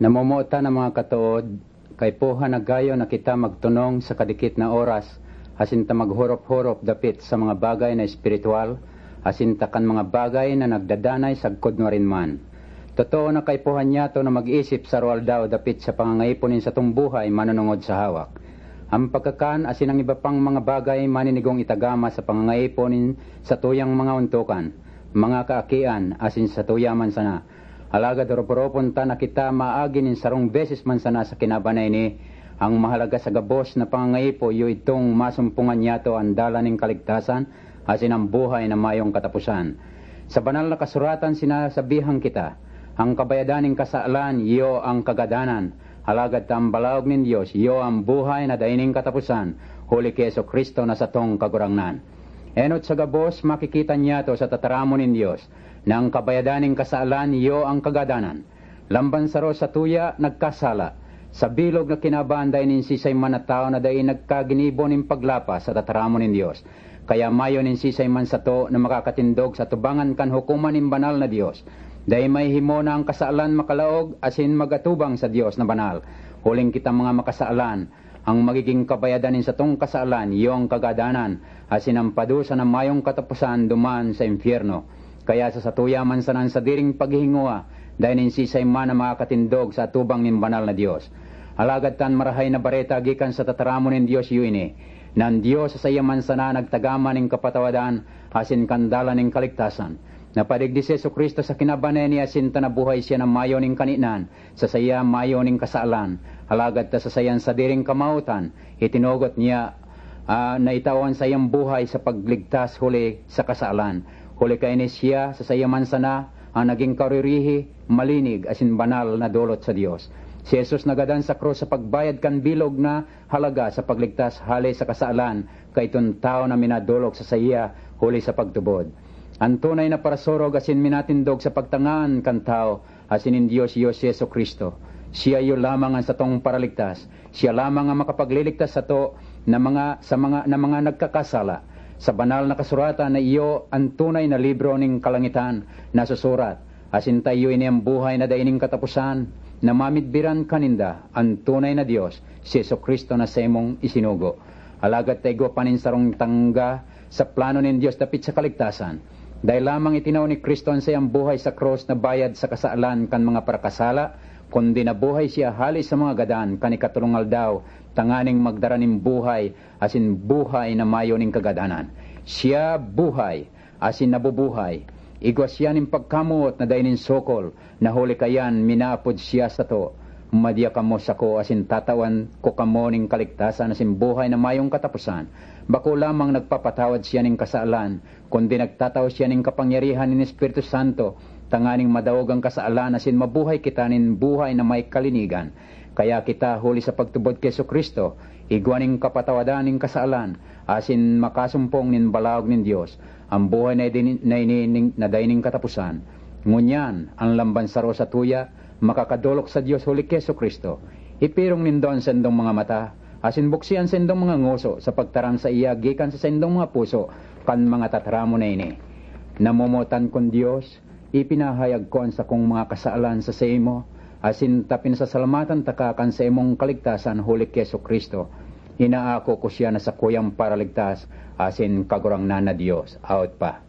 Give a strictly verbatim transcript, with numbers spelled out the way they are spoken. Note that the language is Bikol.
Namomotan na mga katood, kaipuhan na gayo na kita magtunong sa kadikit na oras, asin ta maghorop-horop dapit sa mga bagay na espiritual, asin ta kan mga bagay na nagdadanay sagkod nuarin man. Totoo na kaipuhan niyato na mag-isip sa aroaldaw dapit sa pangangaipo nin satong buhay manunungod sa hawak. Ang pagkakan asin ang iba pang mga bagay maninigong itagama sa pangangaipo nin satuyang mga ontokan, mga kaakian, asin satuya man sana. Alagad orop-oropon ta na kita maagi nin sarong beses man sana sa kinaban na ini. Ang mahalaga sa gabos na pangangaipo iyo idtong masumpongan niyato an dalan nin kaligtasan asin ang buhay na mayong kataposan. Sa Banal na Kasuratan sinasabihan kita, "Ang kabayadan nin kasalan iyo ang kagadanan, alagad ta an balaog nin Dios iyo an buhay na dai nin kataposan, huli ki Jesu-Cristo na satong Kagurangnan." Enot sa gabos, makikita niyato sa tataramon nin Dios na ang kabayadan nin kasalan iyo ang kagadanan. Lamban saro satuya nagkasala, sa bilog na kinaban dai nin sisay man na tawo na dai nagkaginibo nin paglapas sa tataramon nin Dios. Kaya mayo nin sisay man sato na makakatindog sa atubangan kan hukoman nin banal na Dios. Dai mahihimo na ang kasalan makalaog asin mag-atubang sa Dios na banal. Huling kita mga makasalan, ang magiging kabayadan nin satong kasalan iyo ang kagadanan, asin ang padusa na mayong kataposan duman sa impyerno. Kaya sa satuya man sana an sadiring paghihingowa, dai nin sisay man na makakatindog sa atubang nin banal na Dios. Alagad ta an Marahay na Bareta gikan sa tataramon nin Dios iyo ini, na an Dios sa saiya man sana nagtagama nin kapatawadan asin kan dalan nin kaligtasan. Napadigdi si Jesu-Cristo sa kinaban na ini asin ta nabuhay siya na mayo nin kaninan, sa saiya mayo nin kasalan, alagad ta sa saiyang sadiring kamawotan, itinugot niya, ah, na itao an saiyang buhay sa pagligtas huli sa kasalan. Huli kaini siya, sa saiya man sana, ang nagin karirihi, malinig, asin banal na dolot sa Dios. Si Jesus nagadan sa krus sa pagbayad kan bilog na halaga sa pagligtas hale sa kasalan kaitong tawo na minadolok sa saiya huli sa pagtubod. An tunay na parasurog asin minatindog sa pagtangaan kan tawo asin nin Dios iyo si Jesu-Cristo. Siya iyo lamang an satong Paraligtas. Siya lamang an makapagliligtas sato na mga, sa mga, na mga nagkakasala. Sa Banal na Kasuratan na iyo an tunay na libro nin kalangitan na susurat, asin ta iyo ini an buhay na dai nin kataposan, na mamidbiran kaninda an tunay na Dios, si Jesu-Cristo na saimong isinugo. Alagad ta igwa pa nin sarong tangga sa plano nin Dios dapit sa kaligtasan. Dai lamang itinao ni Cristo an saiyang buhay sa krus na bayad sa kasalan kan mga parakasala, kundi nabuhay siya hale sa mga gadan kan ikatolong aldaw, tanganing magdara nin buhay, asin buhay na mayo nin kagadanan. Siya buhay, asin nabubuhay. Igwa siya nin pagkamoot na dai nin sokol, na huli kaiyan minaapod siya sato. Madya kamo sako asin tatawan ko kamo nin kaligtasan asin buhay na mayong kataposan. Bako lamang nagpapatawad siya nin kasalan, kundi nagtatao siya nin kapangyarihan nin Espiritu Santo, tanganing madaog an kasalan asin mabuhay kita nin buhay na may kalinigan. Kaya kita, huli sa pagtubod ki Jesu-Cristo, igwa nin kapatawadan nin kasalan asin makasumpong nin balaog nin Dios, an buhay na ini, na ini nin, na dai nin kataposan. Ngunyan, an lamban saro satuya makakadolok sa Dios huli ki Jesu-Cristo. Ipirong nindo an saindong mga mata, asin buksi an saindong mga ngoso sa pagtaram saiya gikan sa saindong mga puso kan mga tataramon na ini. Namomotan kong Dios, ipinahayag ko an sakong mga kasalan sa saimo, asin ta pinasasalamatan taka kan saimong kaligtasan huli ki Jesu-Cristo. Inaako ko siya na sakuyang Paraligtas asin Kagurangnan na Dios. Awot pa.